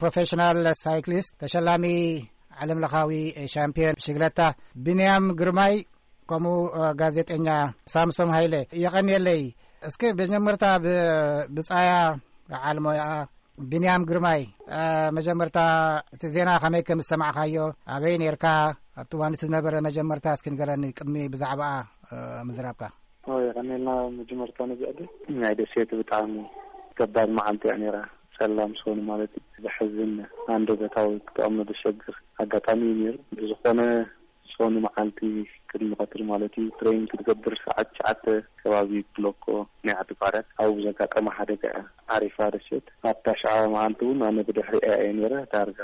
ፕሮፌሽናል ሳይክሊስት፣ ተሸላሚ ዓለም ለኻዊ ሻምፒዮን ብሽግለታ ቢንያም ግርማይ፣ ከምኡ ጋዜጠኛ ሳምሶም ሃይለ፣ የቐንየለይ። እስኪ መጀመርታ ብ-፣ ብጻያ በዓል ሞያ ቢንያም ግርማይ፣ መጀመርታ እቲ ዜና ከመይ ከም ዝሰማዕካዮ፣ ኣበይ ነርካ፣ ኣብቲ እዋን እቲ ዝነበረ መጀመርታ እስኪ ንገረኒ፣ ቅድሚ ብዛዕባኣ ምዝራብካ። ኦ፣ የቐንየልና። መጀመርታ ነዚ ዕድል። ናይ ደሴት ብጣዕሚ ከባድ መዓልቲ እያ ነይራ። ጸላም ሰኑ ማለት እዩ። ዘሕዝን፣ ኣንደበታዊ ክጠቕሞ ዘሸግር ኣጋጣሚ እዩ ነይሩ። ብዝኾነ፣ ሰኑ መዓልቲ ቅድሚ ቀትሪ ማለት እዩ፣ ትሬን ክትገብር ሰዓት ትሽዓተ ከባቢ ብሎኮ ናይ ዓዲ ፋርያት ኣብኡ ብዘጋጠመ ሓደጋ እያ ዓሪፋ ደሴት። ኣብታ ሸዓ መዓልቲ እውን ኣነ ብድሕሪኣ እየ ነይረ። ዳርጋ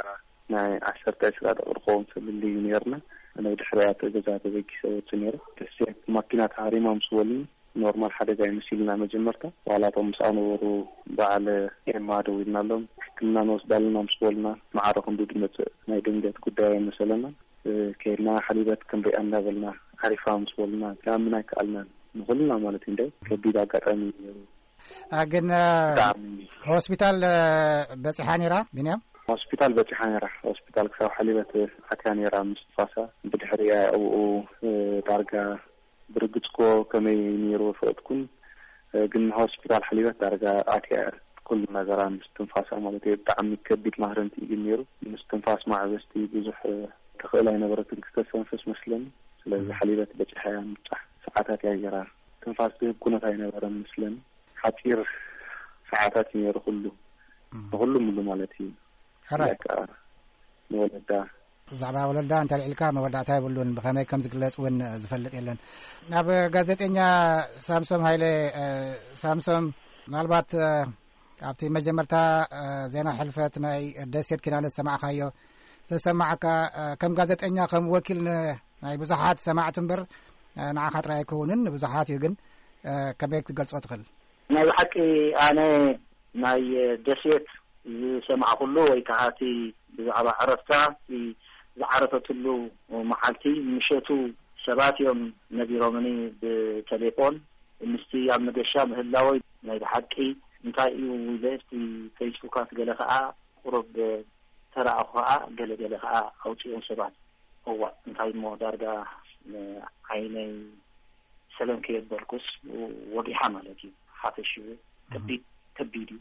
ናይ ዓሰርተ ዕስራ ደቂቕ ዝኸውን ፍልልይ እዩ ነይርና። ኣነ ብድሕሪኣ እቲ ገዛ ተበጊሰ ወፅእ ነይረ። ደሴት ማኪና ተሃሪማ ምስ በሉኒ፣ ኖርማል ሓደጋ እዩ መሲሉና መጀመርታ። ዋላ እቶም ምስኣ ነበሩ በዓል ኤማ ደዊልናሎም፣ ሕክምና ንወስዳ ኣለና ምስ በሉና፣ ማዕረ ክንዱ ድመጽእ ናይ ድንገት ጉዳይ ኣይመሰለና። እ፣ ከይድና ሓሊበት ክንሪኣ እንዳበልና፣ ዓሪፋ ምስ በሉና፣ ክኣምን ኣይከኣልናን። ንኹልና ማለት እዩ፣ እንደ ከቢድ ኣጋጣሚ እዩ ነይሩ። አ፣ ግን፣ እ፣ ብጣዕሚ። ሆስፒታል፣ እ፣ በጺሓ ነይራ፣ ቢንያም? ሆስፒታል በጺሓ ነይራ። ሆስፒታል ክሳብ ሓሊበት ኣትያ ነይራ ምስ ትንፋሳ። ብድሕሪኣ ኣብኡ፣ እ፣ ዳርጋ ብርግጽ እኮ ከመይ ነይሩ ፈለጥኩን፣ እ፣ ግን ሆስፒታል ሓሊበት ዳርጋ ኣትያ ኩሉ ነገራ ምስ ትንፋሳ ማለት እዩ። ብጣዕሚ ከቢድ ማህረምቲ እዩ ግን ነይሩ። ምስ ትንፋስ ማዕበስቲ ብዙሕ፣ እ፣ ትኽእል ኣይነበረትን ክተስተንፍስ መስለኒ። ስለዚ እም። ሓሊበት በጺሓ እያ ምብጻሕ። ሰዓታት እያ ገይራ። ትንፋስ ዝህብ ኩነት ኣይነበረን መስለኒ። ሓጺር ሰዓታት እዩ ነይሩ ኩሉ። እም። ንኹሉ ሙሉ ማለት እዩ። ሕራይ። በቃ ንወለዳ። ብዛዕባ ወለዳ እንተልዒልካ መወዳእታ የብሉን። ብኸመይ ከም ዝግለጽ እውን ዝፈልጥ የለን። ናብ ጋዜጠኛ ሳምሶም ሃይለ፣ እ፣ ሳምሶም፣ ምናልባት፣ እ፣ ኣብቲ መጀመርታ፣ እ፣ ዜና ሕልፈት ናይ ደሴት ኪዳነ ዝሰማዕካዮ ዝተሰማዓካ፣ እ፣ ከም ጋዜጠኛ፣ ከም ወኪል ን-፣ ናይ ብዙሓት ሰማዕቲ እምበር፣ እ፣ ንዓኻ ጥራይ ኣይከውንን፣ ንብዙሓት እዩ። ግን፣ እ፣ ከመይ ክትገልጾ ትኽእል? ናይ ብሓቂ ኣነ ናይ ደሴት ዝሰማዕኩሉ ወይ ከዓ እቲ ብዛዕባ ዕረፍታ፣ እቲ ዝዓረፈትሉ መዓልቲ ምሸቱ ሰባት እዮም ነጊሮምኒ ብቴሌፎን። ምስቲ ኣብ መገሻ ምህላወይ ናይ ብሓቂ እንታይ እዩ ኢለ፣ እቲ ፌስቡካት ገለ ከዓ ቁሩብ ተረኣኹ ከዓ ገለ ገለ ከዓ ኣውፅኦም ሰባት። እዋእ፣ እንታይ እሞ ዳርጋ ዓይነይ ሰለም ከየበልኩስ ወጊሓ ማለት እዩ። ሓፈሽኡ ከቢድ፣ ከቢድ እዩ።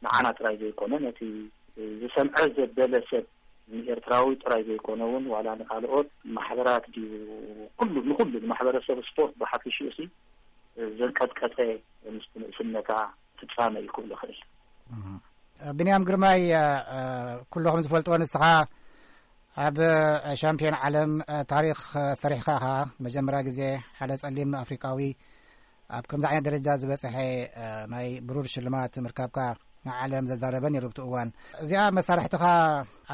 ንዓና ጥራይ ዘይኮነ፣ ነቲ ዝሰምዐ ዘበለ ሰብ፣ ንኤርትራዊ ጥራይ ዘይኮነ እውን፣ ዋላ ንኻልኦት ማሕበራት ድዩ፣ ኩሉ፣ ንኹሉ ንማሕበረሰብ ስፖርት ብሓፈሽኡ ሲ ዘንቀጥቀጠ ምስ ንእስነታ ፍጻመ እዩ ክብል እኽእል። እህ። ቢንያም ግርማይ፣ እ፣ እ፣ ኩሉ ከም ዝፈልጥዎ ንስኻ ኣብ፣ እ፣ ሻምፒዮን ዓለም፣ እ፣ ታሪኽ፣ እ፣ ሰሪሕካ ኢኻ። መጀመርያ ግዜ ሓደ ጸሊም ኣፍሪቃዊ ኣብ ከምዚ ዓይነት ደረጃ ዝበጽሐ፣ እ፣ ናይ ብሩር ሽልማት ምርካብካ ንዓለም ዘዛረበ ነይሩ ብቲ እዋን። እዚኣ መሳርሕትኻ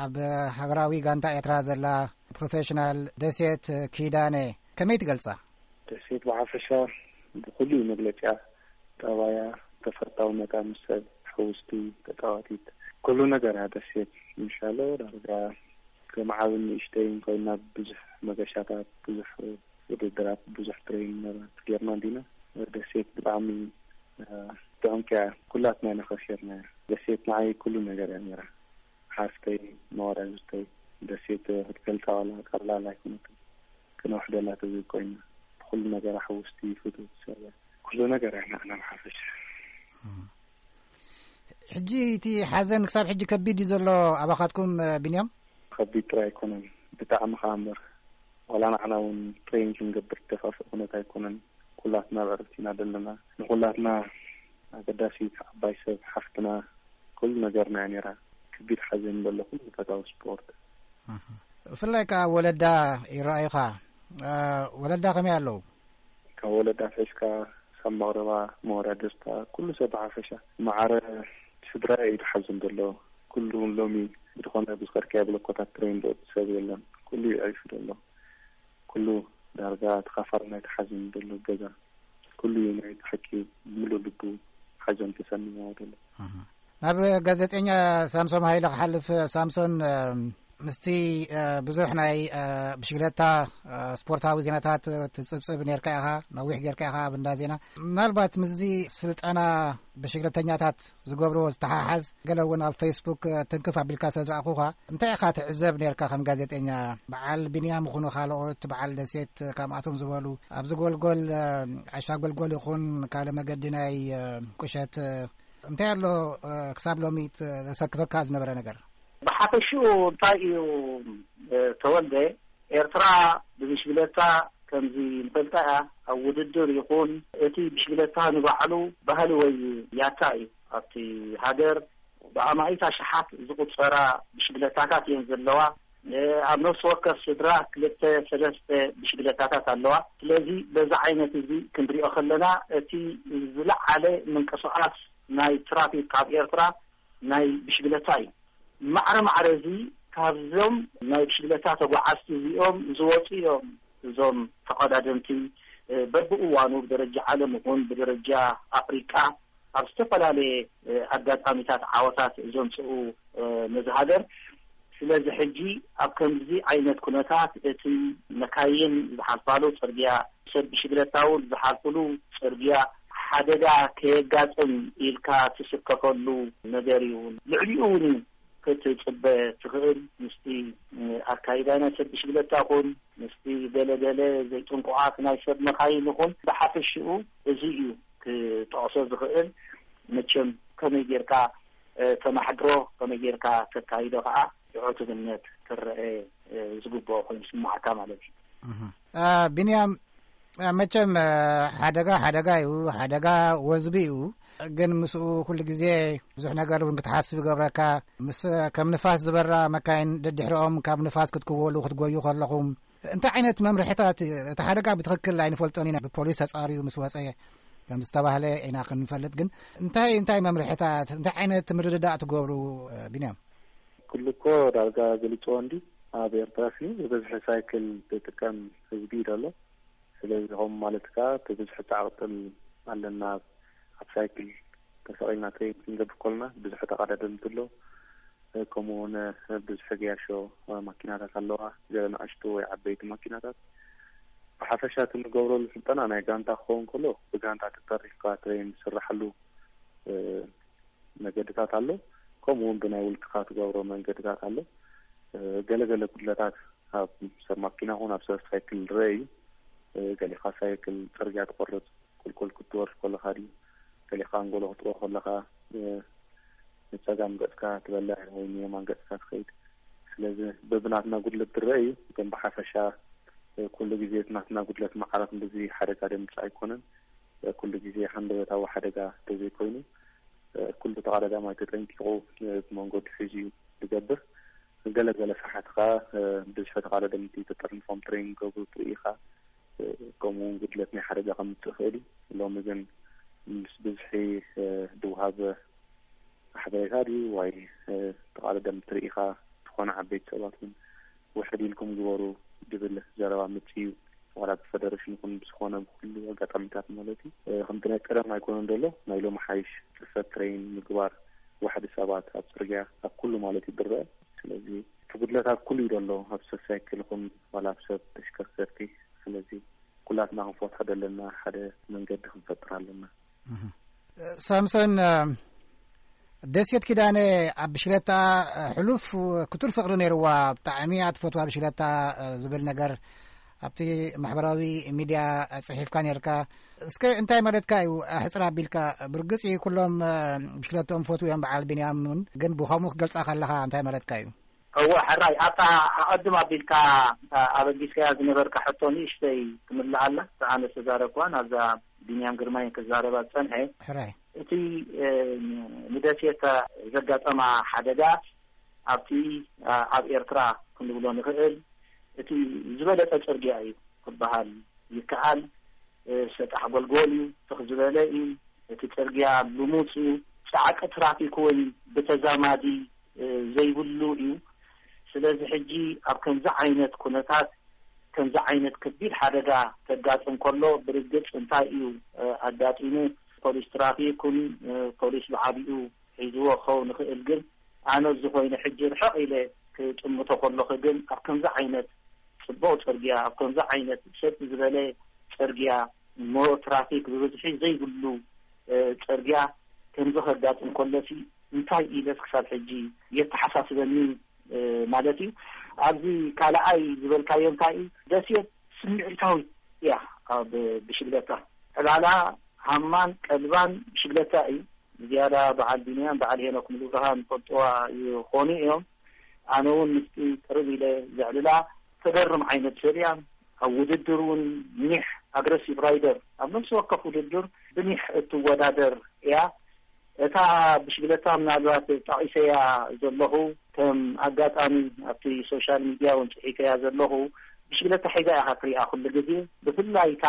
ኣብ ሃገራዊ ጋንታ ኤርትራ ዘላ ፕሮፌሽናል ደሴት ኪዳነ ከመይ ትገልጻ? ደሴት ብሓፈሻ ብኹሉ እዩ መግለጺኣ። ጠባያ፣ ተፈታውነታ ምስ ሰብ፣ ሕውስቲ፣ ተጻዋቲት፣ ኩሉ ነገራ ደሴት። ምሻሎ ዳርጋ ከም ዓብን ንእሽተይን ኮይና ብዙሕ መገሻታት፣ ብዙሕ ውድድራት፣ ብዙሕ ትሬኒንገራት ጌርና እንዲና። ደሴት ብጣዕሚ፣ እ፣ ጥዑምቲ እያ። ኩላትና ኢና ከሲርና። ደሴት ንዓይ ኩሉ ነገር እያ ነይራ። ሓፍተይ፣ መወዳድርተይ፣ ደሴት ክትገልጻ ዋላ ቀላል ኣይኮነትን። ክነውሕደላ ተዘይኮይና፣ ብኹሉ ነገራ ሕውስቲ፣ ፍትውቲ ሰብ እያ። ኩሉ ነገር እያ ንዓና ብሓፈሻ። እም። ሕጂ እቲ ሓዘን ክሳብ ሕጂ ከቢድ እዩ ዘሎ ኣባኻትኩም፣ እ፣ ቢንያም? ከቢድ ጥራይ ኣይኮነን፣ ብጣዕሚ ከኣ እምበር። ዋላ ንዓና እውን ትሬኒንግ ክንገብር ዝተፋፍእ ኩነት ኣይኮነን። ኩላትና ኣብ ዕረፍቲ ኢና ዘለና። ንኹላትና ኣገዳሲት ዓባይ ሰብ ሓፍትና ኩሉ ነገርና እያ ነይራ። ከቢድ ሓዘን ዘሎ ኩሉ ፈታዊ ስፖርት። እህ። ብፍላይ ከኣ ወለዳ ይረኣዩኻ። እ፣ ወለዳ ከመይ ኣለዉ? ካብ ወለዳ ኣትሒዝካ፣ ሳብ መቕረባ፣ መወዳድርታ፣ ኩሉ ሰብ ብሓፈሻ። ማዕረ ስድራይ እዩ ዝሓዝን ዘሎ። ኩሉ እውን ሎሚ ብዝኾነ ብዝኸድካዮ ብለኮታት ትሬን ዝወጽእ ሰብ የለን። ኩሉ እዩ ዒፉ ዘሎ። ኩሉ ዳርጋ ተኻፋሊ ናይቲ ሓዘን ዘሎ ገዛ። ኩሉ እዩ ናይ ብሓቂ ብምሉእ ልቡ ሓዘን ተሰሚዕዎ ዘሎ። እህ። ናብ ጋዜጠኛ ሳምሶም ሃይለ ክሓልፍ። ሳምሶን፣ እም፣ ምስቲ ብዙሕ ናይ ብሽግለታ ስፖርታዊ ዜናታት ትጽብጽብ ኔርካ ኢኻ፣ ነዊሕ ጌርካ ኢኻ ኣብ እንዳ ዜና። ምናልባት ምስዚ ስልጠና ብሽግለተኛታት ዝገብርዎ ዝተሓሓዝ፣ ገለ እውን ኣብ ፌስቡክ ትንክፍ ኣቢልካ ስለ ዝረኣኹኻ፣ እንታይ ኢኻ ትዕዘብ ኔርካ ከም ጋዜጠኛ? በዓል ቢንያም ይኹኑ ካልኦት፣ በዓል ደሴት፣ ከምኣቶም ዝበሉ ኣብዚ ጎልጎል፣ ዓሻ ጎልጎል ይኹን ካልእ መገዲ ናይ ቁሸት፣ እንታይ ኣሎ ክሳብ ሎሚ ዘሰክፈካ ዝነበረ ነገር? ብሓፈሽኡ እንታይ እዩ ተወልደ፣ ኤርትራ ብብሽግለታ ከምዚ ንፈልጣ እያ፣ ኣብ ውድድር ይኹን እቲ ብሽግለታ ንባዕሉ ባህሊ ወይ ያታ እዩ። ኣብቲ ሃገር ብኣማኢት ኣሽሓት ዝቑጸራ ብሽግለታታት እየን ዘለዋ። ኣብ ነፍሲ ወከፍ ስድራ ክልተ ሰለስተ ብሽግለታታት ኣለዋ። ስለዚ በዛ ዓይነት እዚ ክንሪኦ ከለና እቲ ዝለዓለ ምንቅስቓስ ናይ ትራፊክ ኣብ ኤርትራ ናይ ብሽግለታ እዩ። ማዕረ ማዕረ እዚ ካብዞም ናይ ብሽግለታ ተጓዓዝቲ እዚኦም ዝወፁ እዮም። እዞም ተቐዳደምቲ በብእዋኑ ብደረጃ ዓለም ይኹን ብደረጃ ኣፍሪቃ ኣብ ዝተፈላለየ ኣጋጣሚታት ዓወታት ዘምፅኡ ነዚ ሃገር። ስለዚ ሕጂ ኣብ ከምዚ ዓይነት ኩነታት እቲ መካይን ዝሓልፋሉ ፅርግያ፣ ሰብ ብሽግለታ እውን ዝሓልፍሉ ፅርግያ ሓደጋ ከየጋጥም ኢልካ ትስከፈሉ ነገር እዩ። ልዕሊኡ እውን ክትፅበ ትኽእል። ምስቲ ኣካይዳ ናይ ሰብ ብሽግለታ ይኹን ምስቲ ገለገለ ዘይጥንቁቓት ናይ ሰብ መካይን ይኹን ብሓፈሽኡ እዚ እዩ ክጠቕሶ ዝኽእል። መቸም ከመይ ጌርካ ተማሕድሮ፣ ከመይ ጌርካ ተካይዶ ከዓ ብዕቱብነት ክረአ ዝግብኦ ኮይኑ ስማዓካ ማለት እዩ። ቢንያም፣ መቸም ሓደጋ ሓደጋ እዩ፣ ሓደጋ ወዝቢ እዩ። ግን ምስኡ ኩሉ ግዜ ብዙሕ ነገር እውን ክትሓስብ ይገብረካ። ምስ ከም ንፋስ ዝበራ መካይን ደድሕሪኦም ካብ ንፋስ ክትክወሉ ክትጎዩ ከለኹም እንታይ ዓይነት መምርሕታት? እቲ ሓደጋ ብትኽክል ኣይንፈልጦን ኢና፣ ብፖሊስ ተፃርዩ ምስ ወፀ ከም ዝተባህለ ኢና ክንፈልጥ። ግን እንታይ እንታይ መምርሕታት፣ እንታይ ዓይነት ምርድዳእ ትገብሩ? ቢንያም፣ ኩሉ እኮ ዳርጋ ገሊፅዎ እንዲ ኣብ ኤርትራ ሲ ብብዝሒ ሳይክል ዝጥቀም ህዝቢ እዩ ዘሎ። ስለዚ ከምኡ ማለት ከኣ እቲ ብዝሒ ጻዕቕጥል ኣለና። ኣብ ሳይክል ተሰቒልና ትሬኒንግ ክንገብር ከለና ብዙሕ ተቐዳደምቲ ኣሎ። ከምኡ እውን ብዙሕ ገያሾ ማኪናታት ኣለዋ፣ ገለ ንኣሽቱ ወይ ዓበይቲ ማኪናታት። ብሓፈሻ እቲ ንገብረሉ ስልጠና ናይ ጋንታ ክኸውን ከሎ ብጋንታ ተጠሪፍካ ትሬን ዝስራሓሉ መገድታት ኣሎ። ከምኡ እውን ብናይ ውልቅኻ ትገብሮ መንገድታት ኣሎ። ገለገለ ጉድለታት ኣብ ሰብ ማኪና ኹን ኣብ ሰብ ሳይክል ዝረአ እዩ። ገሊኻ ሳይክል ጽርግያ ትቆርጽ፣ ቁልቁል ክትወርድ ከለኻ ድዩ፣ ገሊኻ ኣንጎሎ ክትወ ከለኻ ንጸጋም ገጽካ ትበልዕ ወይ ንየማን ገጽካ ትኸይድ። ስለዚ በብናትና ጉድለት ዝረአ እዩ። ግን ብሓፈሻ ኩሉ ግዜ እቲ ናትና ጉድለት ማዕረ ክንድዚ ሓደጋ ደምጽእ ኣይኮነን። ኩሉ ግዜ ሃንደበታዊ ሓደጋ ተዘይኮይኑ ኩሉ ተቐዳዳማይ ተጠንቂቑ ብመንገዱ ሒዙ እዩ ዝገብር። ገለ ገለ ሰሓት ኸዓ ብዝሒ ተቐዳደምቲ ተጠርኒፎም ትሬኒንግ ገብሩ ትርኢ ኢኻ። ከምኡ እውን ጉድለት ናይ ሓደጋ ከምፅእ ይኽእል እዩ። ሎሚ ግን ምስ ብዝሒ ዝወሃብ ሓበሬታ ድዩ ወይ ተቓዳደምቲ ርኢኻ ዝኾነ ዓበይቲ ሰባት እውን ውሕድ ኢልኩም ግበሩ ዝብል ዘረባ ምፅእ እዩ። ዋላ ብፈደረሽን ይኹን ብዝኾነ ብኩሉ ኣጋጣሚታት ማለት እዩ። ከምቲ ናይ ቀደም ኣይኮነን ዘሎ፣ ናይ ሎሚ ሓይሽ ፅፈት ትሬን ምግባር፣ ዋሕዲ ሰባት ኣብ ፅርግያ ኣብ ኩሉ ማለት እዩ ዝረአ። ስለዚ እቲ ጉድለት ኣብ ኩሉ እዩ ዘሎ፣ ኣብ ሰብ ሳይክል ይኹን ዋላ ኣብ ሰብ ተሽከርከርቲ። ስለዚ ኩላትና ክንፈትሖ ዘለና ሓደ መንገዲ ክንፈጥር ኣለና። ሳምሶን፣ ደሴት ኪዳነ ኣብ ብሽክለታ ሕሉፍ ክቱር ፍቕሪ ነይርዋ፣ ብጣዕሚ እያ ትፈትዋ ብሽክለታ ዝብል ነገር ኣብቲ ማሕበራዊ ሚድያ ጽሒፍካ ነርካ። እስከ እንታይ ማለትካ እዩ? ኣሕጽር ኣቢልካ። ብርግጽ እዩ ኩሎም ብሽክለትኦም ፈትዉ እዮም፣ በዓል ቢንያም እውን። ግን ብኸምኡ ክገልጻ ከለኻ እንታይ ማለትካ እዩ? እወ፣ ሕራይ፣ ኣብታ ኣቐድም ኣቢልካ ኣበጊስካያ ዝነበርካ ሕቶ ንእሽተይ ክምልኣላ፣ ኣነ ዝተዛረብኳ ናብዛ ቢንያም ግርማይ ክዛረባ ዝጸንሐ። ሕራይ። እቲ፣ እ፣ ንደሴት ዘጋጠማ ሓደጋ ኣብቲ፣ እ፣ ኣብ ኤርትራ ክንብሎ ንኽእል እቲ ዝበለጸ ጽርግያ እዩ ክበሃል ይከኣል። እ፣ ሰጣሕ ጎልጎል እዩ፣ ትኽ ዝበለ እዩ። እቲ ጽርግያ ልሙጽ እዩ። ጻዕቂ ትራፊክ እውን ብተዛማዲ፣ እ፣ ዘይብሉ እዩ። ስለዚ ሕጂ ኣብ ከምዚ ዓይነት ኩነታት፣ ከምዚ ዓይነት ከቢድ ሓደጋ ከጋጥም ከሎ ብርግጽ እንታይ እዩ፣ እ፣ ኣጋጢሙ? ፖሊስ ትራፊክ ይኹን፣ እ፣ ፖሊስ ብዓቢኡ ሒዝዎ ክኸውን ይኽእል። ግን ኣነ እዚ ኮይኑ ሕጂ ርሕቕ ኢለ ክጥምቶ ከለኹ ግን ኣብ ከምዚ ዓይነት ጽቡቕ ጽርግያ፣ ኣብ ከምዚ ዓይነት ሰጥ ዝበለ ጽርግያ፣ እሞ ትራፊክ ብብዝሒ ዘይብሉ፣ እ፣ ጽርግያ ከምዚ ከጋጥም ከሎሲ እንታይ ኢለስ ክሳብ ሕጂ የተሓሳስበኒ፣ እ፣ ማለት እዩ። ኣብዚ ካልኣይ ዝበልካዮ እንታይ እዩ? ደሴት ስምዒታዊት እያ። ኣብ ብሽግለታ ዕላላ ሃማን ቀልባን ብሽግለታ እዩ። ዝያዳ በዓል ቢንያም፣ በዓል ሄኖክ ሙሉብርሃን ይፈልጥዋ ይኾኑ እዮም። ኣነ እውን ምስቲ ቅርብ ኢለ ዘዕልላ ተገርም ዓይነት ሰብ እያ። ኣብ ውድድር እውን ኒሕ ኣግረሲቭ ራይደር፣ ኣብ ነፍሲ ወከፍ ውድድር ብኒሕ እትወዳደር እያ። እታ ብሽግለታ ምናልባት ጠቒሰያ ዘለኹ፣ ከም ኣጋጣሚ ኣብቲ ሶሻል ሚድያ እውን ጽሒፈያ ዘለኹ፣ ብሽግለታ ሒዛ ኢኻ ትሪኣ ኩሉ ግዜ። ብፍላይ እታ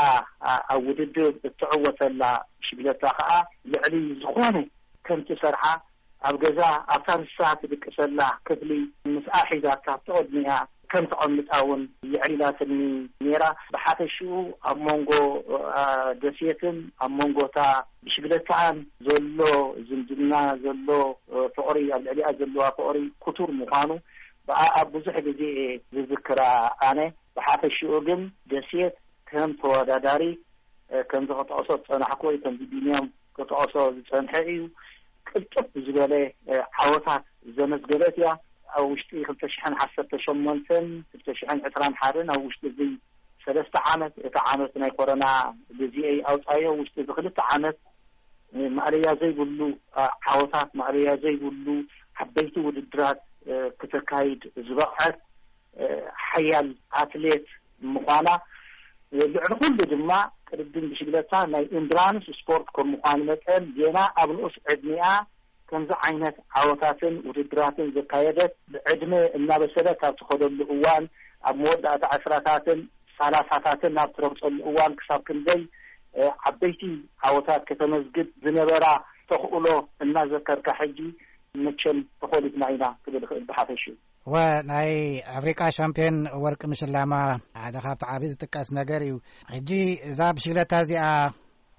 ኣ-፣ ኣብ ውድድር እትዕወተላ ብሽግለታ ከኣ ልዕሊ ዝኾነ ከምቲ ሰርሓ ኣብ ገዛ ኣብታ ንሳ ትድቅሰላ ክፍሊ ምስኣ ሒዛታ ተቐድሚኣ ከም ተቐምጣ እውን የዕሊላትኒ ነይራ። ብሓፈሽኡ ኣብ መንጎ፣ ኣ፣ ደሴትን ኣብ መንጎ እታ ብሽግለታኣን ዘሎ ዝምድና፣ ዘሎ፣ እ፣ ፍቕሪ፣ ኣብ ልዕሊኣ ዘለዋ ፍቕሪ ክቱር ምዃኑ ብኣኣ ብዙሕ ግዜ እየ ዝዝክራ ኣነ። ብሓፈሽኡ ግን ደሴት ከም ተወዳዳሪ፣ እ፣ ከምዚ ክጠቕሶ ዝጸናሕኩ ወይ ከምዚ ቢንያም ክጠቕሶ ዝጸንሐ እዩ። ቅልጥፍ ዝበለ፣ እ፣ ዓወታት ዘመዝገበት እያ። ኣብ ውሽጢ ክልተ ሽሕን ዓሰርተ ሸሞንተን ክልተ ሽሕን ዕስራን ሓደን፣ ኣብ ውሽጢ እዚ ሰለስተ ዓመት፣ እቲ ዓመት ናይ ኮሮና ግዜ እዩ ኣውጻዮ፣ ውሽጢ እዚ ክልተ ዓመት፣ እ፣ ማእለያ ዘይብሉ፣ እ፣ ዓወታት፣ ማእለያ ዘይብሉ ዓበይቲ ውድድራት፣ እ፣ ክተካይድ ዝበቕዐት፣ እ፣ ሓያል ኣትሌት ምዃና፣ ልዕሊ ኩሉ ድማ ቅድድም ብሽግለታ ናይ ኢንዱራንስ ስፖርት ከም ምዃኑ መጠን፣ ዜና ኣብ ንኡስ ዕድሚኣ ከምዚ ዓይነት ዓወታትን ውድድራትን ዘካየደት፣ ብዕድመ እናበሰለት ኣብ ትኸደሉ እዋን፣ ኣብ መወዳእታ ዕስራታትን ሰላሳታትን ኣብ ትረግጸሉ እዋን፣ ክሳብ ክንደይ፣ እ፣ ዓበይቲ ዓወታት ከተመዝግብ ዝነበራ ተኽእሎ እናዘከርካ፣ ሕጂ መቸም ተኾሊፍና ኢና ክብል ይኽእል ብሓፈሽኡ። ወ ናይ ኣፍሪቃ ሻምፒዮን ወርቂ ምሽላማ ሓደ ካብቲ ዓቢ ዝጥቀስ ነገር እዩ። ሕጂ እዛ ብሽግለታ እዚኣ፣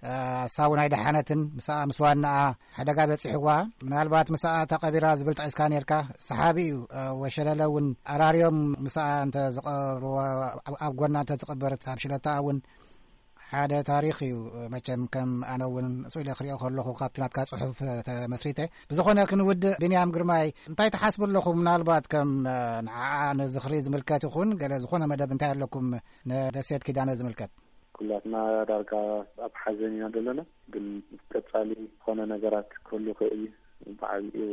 እ፣ እሳ እውን ኣይደሓነትን። ምስኣ፣ ምስ ዋናኣ ሓደጋ በጺሕዋ። ምናልባት ምስኣ ተቐቢራ ዝብል ጠቒስካ ነርካ። ሰሓቢ እዩ። እ፣ ወሸለለ እውን ኣራርዮም ምስኣ እንተ ዝቐብርዋ፣ ኣብ፣ ኣብ ጎና እንተ ዝቕበር፣ እታ ብሽግለታ እውን ሓደ ታሪኽ እዩ። መቸም ከም ኣነ እውን ስኢለ ክሪኦ ከለኹ ካብቲ ናትካ ጽሑፍ ተመስሪተ። ብዝኾነ ክንውድእ፣ ቢንያም ግርማይ፣ እንታይ ትሓስቡ ኣለኹም? ምናልባት ከም፣ እ፣ ንዓኣ ንዝኽሪ ዝምልከት ይኹን ገለ ዝኾነ መደብ እንታይ ኣለኩም ንደሴት ኪዳነ ዝምልከት? ኩላትና ዳርጋ ኣብ ሓዘን ኢና ዘለና፣ ግን ቀጻሊ ዝኾነ ነገራት ክህሉ ይኽእል እዩ። ብዓቢኡ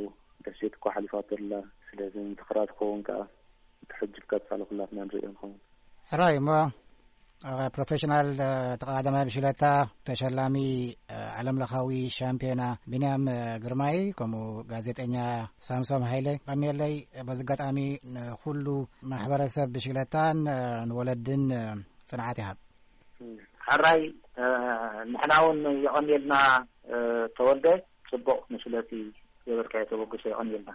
ደሴት እኳ ሓሊፋቶ ኣላ። ስለዚ ምትኽራር ክኸውን ከኣ እቲ ሕጂ ብቀጻሊ ኩላትና ንርእዮ ንኸውን። ሕራይ እሞ፣ እ፣ ፕሮፌሽናል፣ እ፣ ተቐዳዳማይ ብሽለታ፣ ተሸላሚ፣ እ፣ ዓለምለኻዊ ሻምፒዮና ቢንያም፣ እ፣ ግርማይ፣ ከምኡ ጋዜጠኛ ሳምሶም ሃይለ፣ ቀንየለይ። በዚ ኣጋጣሚ ንኹሉ ማሕበረሰብ ብሽለታን፣ እ፣ ንወለድን፣ እ፣ ጽንዓት ይሃብ። ሕራይ፣ እ፣ ንሕና እውን የቐንየልና፣ እ፣ ተወልደ፣ ጽቡቕ ንስለቲ ገበርካዮ ተበግሶ የቐንየልና።